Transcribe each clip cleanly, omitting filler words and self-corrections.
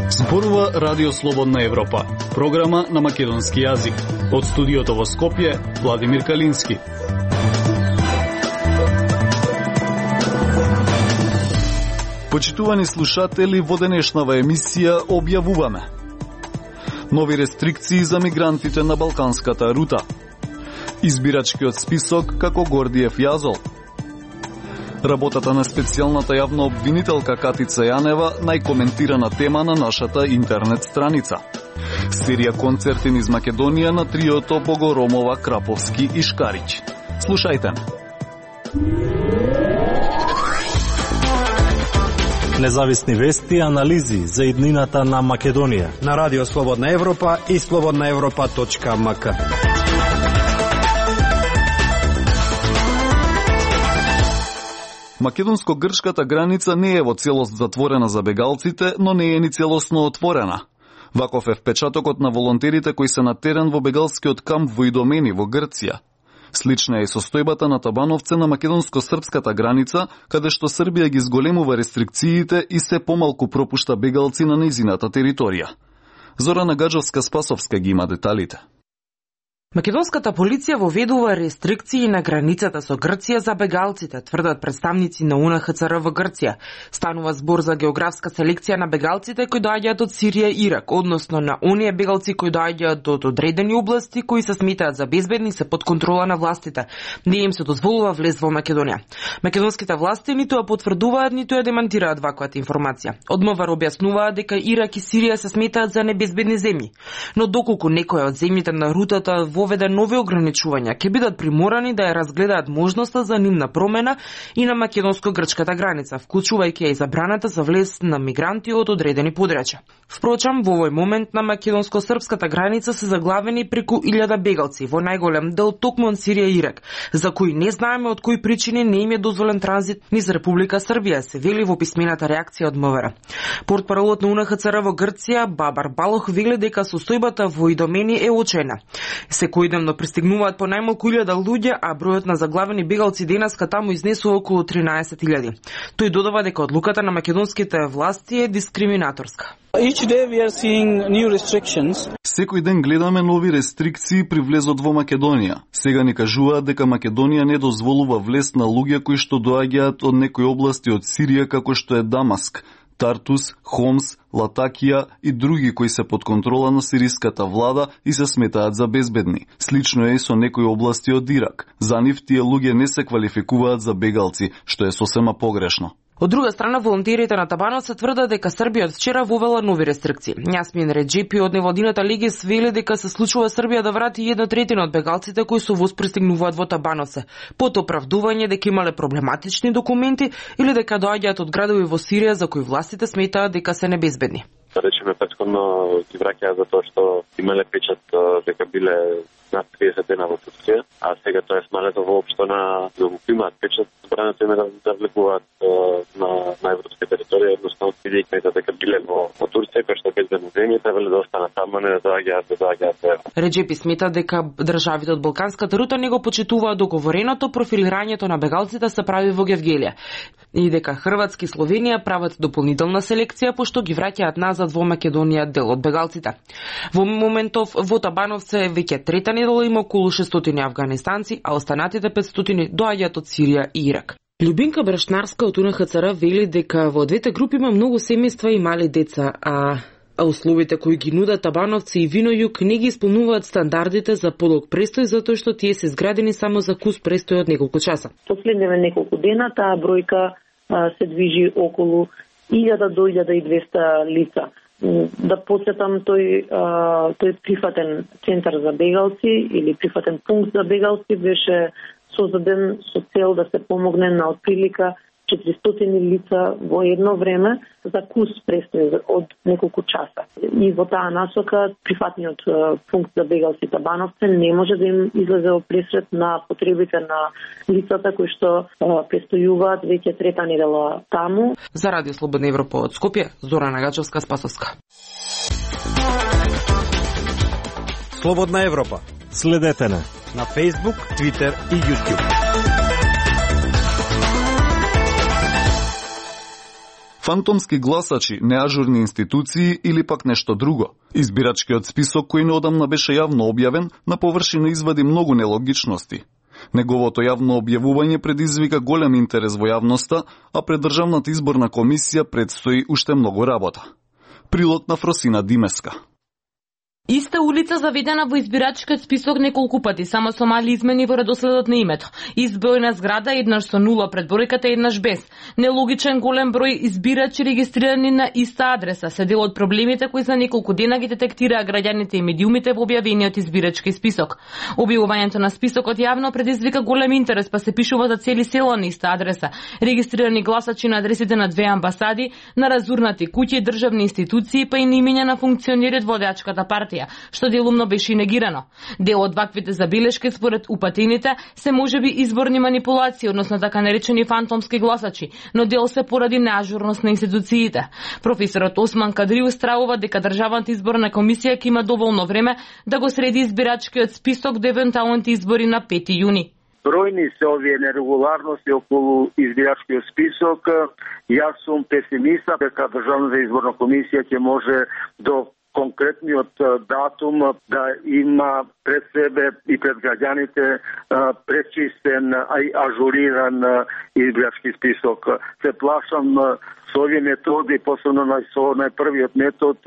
Зборува Радио Слободна Европа, програма на македонски јазик. Од студиото во Скопје, Владимир Калински. Почитувани слушатели, во денешнава емисија објавуваме нови рестрикции за мигрантите на балканската рута, избирачкиот список како Гордиев јазол, работата на специјалната јавна обвинителка Катица Јанева, најкоментирана тема на нашата интернет страница. Серија концерти низ Македонија на триото Богоромова, Краповски и Шкарич. Слушајте. Независни вести и анализи за иднината на Македонија на Радио Слободна Европа и slobodnaevropa.mk. Македонско-грчката граница не е во целост затворена за бегалците, но не е ни целосно отворена. Ваков е впечатокот на волонтерите кои се на терен во бегалскиот камп во Идомени во Грција. Слична е и состојбата на Табановце на македонско-српската граница, каде што Србија ги зголемува рестрикциите и се помалку пропушта бегалци на нејзината територија. Зорана Гаджовска-Спасовска ги има деталите. Македонската полиција воведува рестрикции на границата со Грција за бегалците, тврдат представници на УНХЦР во Грција. Станува збор за географска селекција на бегалците кои доаѓаат од Сирија и Ирак, односно на оние бегалци кои доаѓаат од одредени области кои се сметаат за безбедни и се под контрола на властите. Не им се дозволува влез во Македонија. Македонските власти ниту ја потврдуваат, ниту ја демантираат ваквата информација. Од МВР објаснуваат дека Ирак и Сирија се сметаат за небезбедни земји. Но доколку некоја од земјите на рутата воведе нови ограничувања, ќе бидат приморани да ја разгледаат можноста за нивна промена и на македонско-грчката граница, вклучувајќи и забраната за влез на мигранти од одредени подрачја. Впрочем, во овој момент на македонско-српската граница се заглавени преку 1000 бегалци, во најголем дел токму од Сирија и Ирак, за кои не знаеме од кои причини не им е дозволен транзит низ Република Србија, се вели во писмената реакција од МВР. Портпаролот на УНХЦР во Грција, Бабар Балох, вели дека состојбата во Идомени е очајна. Секојдневно пристигнуваат по најмалку 1000 луѓе, а бројот на заглавени бегалци денеска таму изнесува околу 13.000. Тој додава дека одлуката на македонските власти е дискриминаторска. Секој ден гледаме нови рестрикции при влезот во Македонија. Сега ни кажуваат дека Македонија не дозволува влез на луѓе кои што доаѓаат од некои области од Сирија, како што е Дамаск, Тартус, Хомс, Латакија и други кои се под контрола на сириската влада и се сметаат за безбедни. Слично е и со некои области од Ирак. За нив тие луѓе не се квалификуваат за бегалци, што е сосема погрешно. Од друга страна, волонтерите на Табановце тврдат дека Србија од вчера вовела нови рестрикции. Јасмин Реджепи од невладината Легис вели дека се случува Србија да врати 1/3 од бегалците кои со воз пристигнуваат во Табановце, под оправдување дека имале проблематични документи или дека доаѓаат од градови во Сирија за кои властите сметаат дека се небезбедни. Речеме претходно ги враќаат за тоа што имале печат дека биле над 30 дена во Турција, а сега тоа е смалето воопшто на да го имаат печат, забрането им е да влегуваат на европска територија, едноставно бидејќи дека биле во Турција, кој што е безбедно земје, требале да останат таму, не да доаѓаат. Реджепи смета дека државите од балканската рута не го почитуваат договореното, профилирањето на бегалците се прави во Гевгелија и дека Хрватска и Словенија прават дополнителна селекција пошто ги враќаат назад во Македонија дел од бегалците. Во моментов во Табановце веќе трета недела има околу 600 афганистанци, а останатите 500 доаѓаат од Сирија и Ирак. Љубинка Брашнарска од УНХЦР вели дека во двете групи има многу семејства и мали деца, а условите кои ги нудат Табановци и Винојук не ги исполнуваат стандардите за подолг престој, затоа што тие се изградени само за кус престој од неколку часа. Последниве неколку дена таа бројка се движи околу 1000 до 1200 лица. Да посетам тој прифатен центар за бегалци или прифатен пункт за бегалци беше создаден со цел да се помогне на отприлика 400 лица во едно време за кус престој од неколку часа. И во таа насока прифатниот пункт за бегалци Табановце не може да им излезе во пресред на потребите на лицата кои што престојуваат веќе трета недела таму. За Радио Слободна Европа од Скопје, Зорана Гаджовска-Спасовска. Слободна Европа. Следете на Facebook, Twitter и YouTube. Фантомски гласачи, неажурни институции или пак нешто друго. Избирачкиот список кој неодамна беше јавно објавен, на површина извади многу нелогичности. Неговото јавно објавување предизвика голем интерес во јавноста, а пред Државната изборна комисија предстои уште многу работа. Прилог на Фросина Димеска. Иста улица заведена во избирачкиот список неколку пати, само со мали измени во редоследот на името. Избројна зграда еднаш со 0 пред бројката, еднаш без. Нелогичен голем број избирачи регистрирани на иста адреса се дел од проблемите кои за неколку дена ги детектираа граѓаните и медиумите во објавениот избирачки список. Објавувањето на списокот јавно предизвика голем интерес, па се пишува за цели села на иста адреса. Регистрирани гласачи на адресите на 2 амбасади, на разурнати куќи и државни институции, па и на имења на функционери од водачката партија, што делумно беше негирано. Дел од ваквите забелешки според упатените се можеби изборни манипулации, односно така наречени фантомски гласачи, но дел се поради неажурност на институциите. Професорот Осман Кадриу стравува дека Државната изборна комисија ќе има доволно време да го среди избирачкиот список до евентуалните избори на 5 јуни. Бројни се овие нерегуларности околу избирачкиот список. Јас сум песимиста дека Државната изборна комисија ќе може до конкретниот датум да има пред себе и пред граѓаните пречистен и ажуриран избирачки список. Се плашам со овие методи, посебно со најпрвиот метод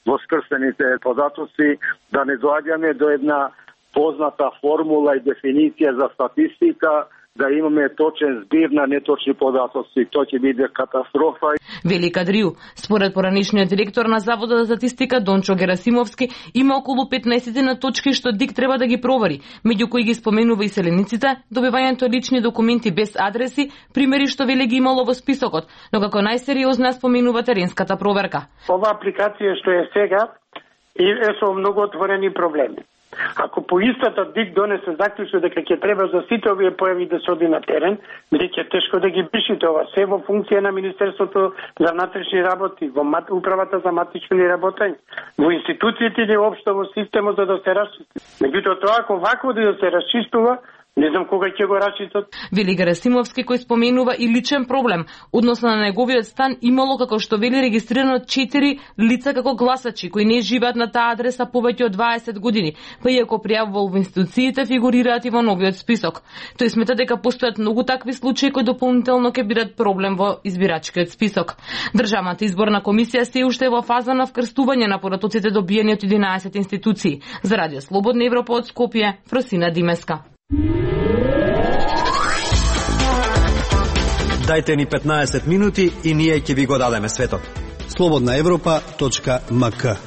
во скрстените податоци, да не доаѓаме до една позната формула и дефиниција за статистика, да имаме точен збир на неточни податоци. Тоа ќе биде катастрофа. Вели Кадриу, според поранишниот директор на Заводот за статистика Дончо Герасимовски, има околу 15 на точки што ДИК треба да ги провери, меѓу кои ги споменува иселениците, добивањето лични документи без адреси, примери што вели ги имало во списокот, но како најсериозна споменува теренската проверка. Ова апликација што е сега е со многу отворени проблеми. Ако по истата ДИК донесе заклучок дека ќе треба за сите овие појави да се оди на терен, бидејќи е тешко да ги пишите ова се во функција на Министерството за внатрешни работи, во Управата за матични работења, во институциите или општо во системот за да се расчисти. Меѓутоа тоа ако вакво да се расчистува, не знам кога ќе го расчистат. Вели Герасимовски, кој споменува и личен проблем, односно на неговиот стан имало, како што вели, регистрирано 4 лица како гласачи кои не живеат на таа адреса повеќе од 20 години, па иако пријавувал во институциите, фигурираат и во новиот список. Тој смета дека постојат многу такви случаи кои дополнително ќе бидат проблем во избирачкиот список. Државната изборна комисија се уште е во фаза на вкрстување на податоците добиени од 11 институции. За Радио Слободна Европа од Скопје, Фросина Димеска. Дајте ни 15 минути и ние ќе ви го дадеме светот. slobodnaevropa.mk.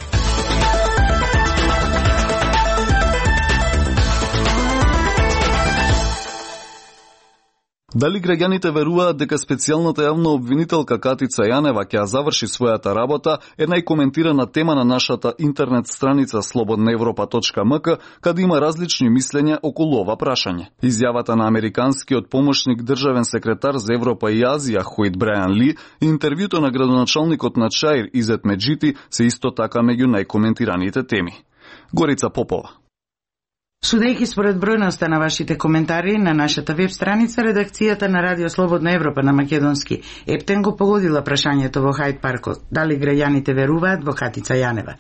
Дали граѓаните веруваат дека специјалната јавна обвинителка Катица Јанева ќе ја заврши својата работа е најкоментирана тема на нашата интернет страница slobodnaevropa.mk, каде има различни мислења околу ова прашање. Изјавата на американскиот помошник државен секретар за Европа и Азија Хуит Брајан Ли и интервјуто на градоначалникот на Чаир Изет Меджити се исто така меѓу најкоментираните теми. Горица Попова. Судејќи според бројноста на вашите коментари на нашата веб страница, редакцијата на Радио Слободна Европа на македонски Ептен го погодила прашањето во Хајд паркот, дали граѓаните веруваат во Катица Јанева.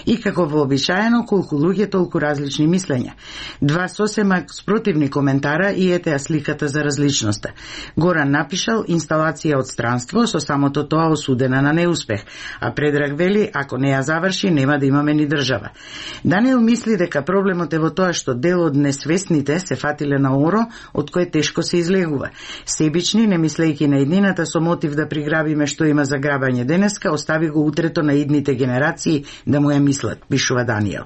И како вообичаено, колку луѓе, толку различни мислења. Два сосема спротивни коментара и етеа сликата за различноста. Горан напишал инсталација од странство, со самото тоа осудена на неуспех, а Предраг вели, ако не ја заврши, нема да имаме ни држава. Даниел мисли дека проблемот е во тоа што дел од несвесните се фатиле на оро, од кој тешко се излегува. Себични, не мислејќи на иднината со мотив да приграбиме што има за грабање денеска, остави го утрето на идните генерации да му ја мислат, пишува Даниел.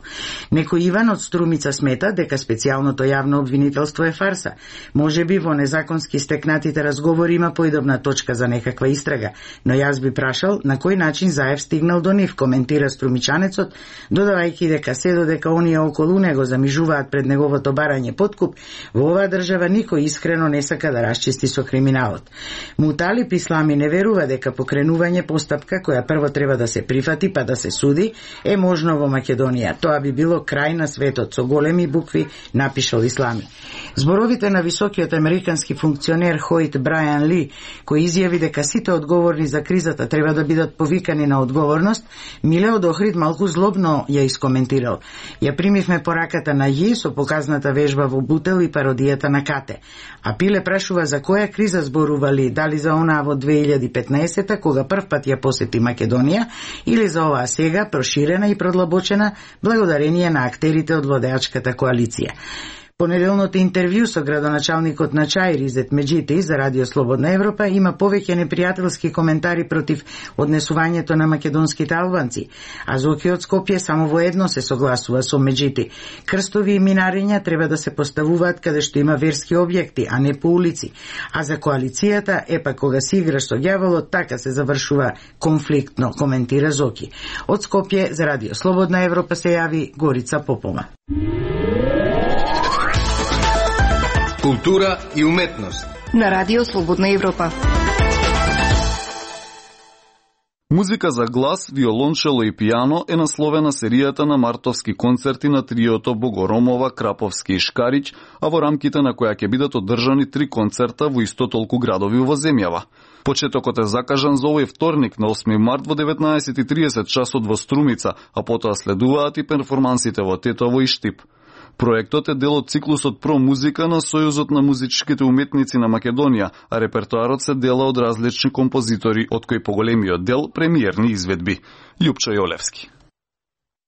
Некој Иван од Струмица смета дека специјалното јавно обвинителство е фарса. Можеби во незаконски стекнатите разговори има поидобна точка за некаква истрага, но јас би прашал на кој начин Заев стигнал до нив, коментира Струмичанецот, додавајќи дека се додека оние околу него замижуваат пред неговото барање подкуп, во оваа држава никој искрено не сака да расчисти со криминалот. Муталиб Ислами не верува дека покренување постапка која прво треба да се прифати па да се суди е можно во Македонија. Тоа би било крај на светот со големи букви, напишал Ислами. Зборовите на високиот американски функционер Хоит Брајан Ли, кој изјави дека сите одговорни за кризата треба да бидат повикани на одговорност, Милео Охрид малку злобно ја искоментирал. Ја примивме пораката на Ји со показната вежба во Бутел и пародијата на Кате. А Пиле прашува за која криза зборували, дали за онаа во 2015-та, кога првпат ја посети Македонија, или за оваа сега, проширена и продлабочена, благодарение на актерите од владеачката коалиција. Понеделното интервју со градоначалникот на Чаир Изет Меджити за Радио Слободна Европа има повеќе непријателски коментари против однесувањето на македонските албанци, а Зоки од Скопје само во едно се согласува со Меджити. Крстови и минариња треба да се поставуваат каде што има верски објекти, а не по улици. А за коалицијата, епа кога си играш со ѓаволот, така се завршува конфликтно, коментира Зоки. Од Скопје за Радио Слободна Европа се јави Горица Попова. Култура и уметност на Радио Слободна Европа. Музика за глас, виолончело и пијано е насловена серијата на мартовски концерти на триото Богоромова, Краповски и Шкарич, а во рамките на која ќе бидат одржани 3 концерта во исто толку градови во земјава. Почетокот е закажан за овој вторник на 8 март во 19:30 часот во Струмица, а потоа следуваат и перформансите во Тетово и Штип. Проектот е дел од циклусот Про музика на Сојузот на музичките уметници на Македонија, а репертоарот се дела од различни композитори, од кои поголемиот дел премиерни изведби. Љупчо Јолевски.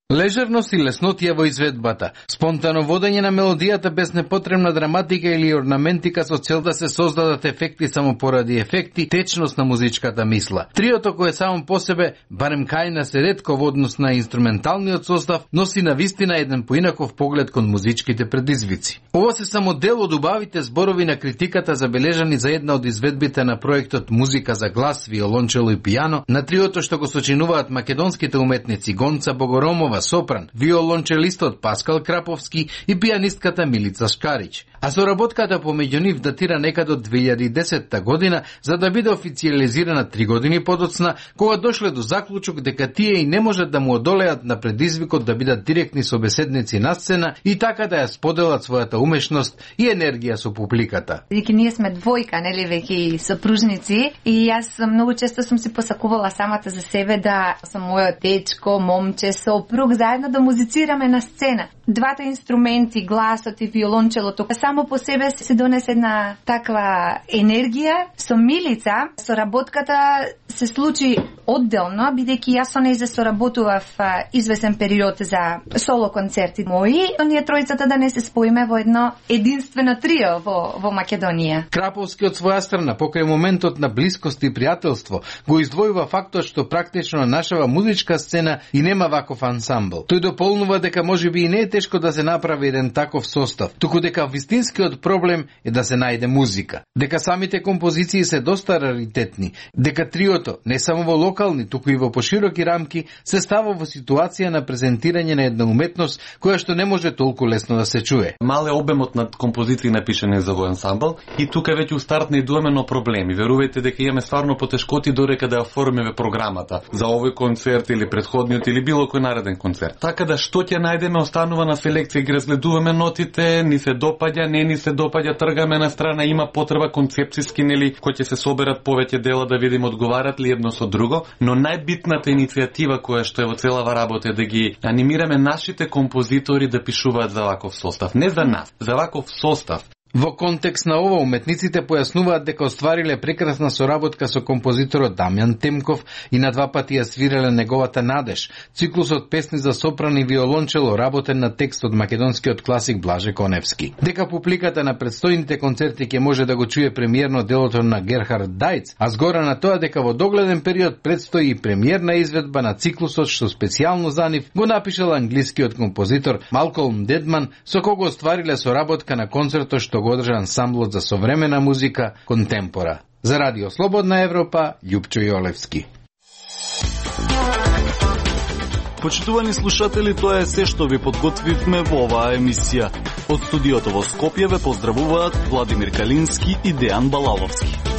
Лежерност и леснотија во изведбата, спонтано водење на мелодијата без непотребна драматика или орнаментика со цел да се создадат ефекти само поради ефекти, течност на музичката мисла. Триото кое само по себе, барем кај се ретко во однос на инструменталниот состав, носи на вистина еден поинаков поглед кон музичките предизвици. Ова се само дел од убавите зборови на критиката забележани за една од изведбите на проектот Музика за глас, виолончело и пијано, на триото што го сочинуваат македонските уметници Гонца Богоромова, сопран, виолончелистот Паскал Краповски и пијанистката Милица Шкарич. А соработката помеѓу нив датира некаде од 2010 година, за да биде официализирана 3 години подоцна, кога дошле до заклучок дека тие и не можат да му одолеат на предизвикот да бидат директни собеседници на сцена и така да ја споделат својата умешност и енергија со публиката. Дека ние сме двојка, нели, веќе сопружници, и јас многу често сум си посакувала самата за себе да сум мојот дечко, момче, сопруг, заедно да музицираме на сцена. Двата инструменти, гласот и виолончелото, само по себе се донесе една таква енергија. Со Милица, соработката се случи одделно, бидејќи јас со неја соработував извесен период за соло концерти мои, ние тројцата да не се споиме во едно единствено трио во Македонија. Краповски од своја страна, покрај моментот на блискост и пријателство, го издвојува фактот што практично на нашава музичка сцена и нема ваков ансамбл. Тој дополнува дека можеби и не е тешко да се направи еден таков состав, туку дека вистинскиот проблем е да се најде музика. Дека самите композиции се доста раритетни, дека триото, не само во локални, туку и во пошироки рамки, се става во ситуација на презентирање на една уметност која што не може толку лесно да се чуе. Мал е обемот на композиции напишани за овој ансамбл и тука веќе у старт не идуваме на проблеми. Верувајте дека имаме стварно потешкоти дорека да ја оформиме програмата за овој концерт или претходниот или било кој нареден концерт. Така да што ќе најдеме останува на селекција, ги разгледуваме нотите, ни се допаѓа, не ни се допаѓа, тргаме на страна, има потреба концепциски, нели, кои ќе се соберат повеќе дела да видиме одговарат ли едно со друго, но најбитната иницијатива која што е во целава работа е да ги анимираме нашите композитори да пишуваат за ваков состав, не за нас, за ваков состав. Во контекст на ова, уметниците појаснуваат дека оствариле прекрасна соработка со композиторот Дамјан Темков и на 2 пати ја свирале неговата Надеж, циклусот песни за сопран и виолончело работен на текст од македонскиот класик Блаже Коневски. Дека публиката на предстојните концерти ќе може да го чуе премиерно делото на Герхард Дајц, а згора на тоа дека во догледен период предстои и премиерна изведба на циклусот што специјално за нив го напишал англискиот композитор Малколм Дедман, со кого оствариле соработка на концертот што го одржа ансамблот за современа музика Контемпора. За Радио Слободна Европа, Љупчо Јолевски. Почитувани слушатели, тоа е се што ви подготвивме во оваа емисија. Од студиото во Скопје ве поздравуваат Владимир Калински и Дејан Балаловски.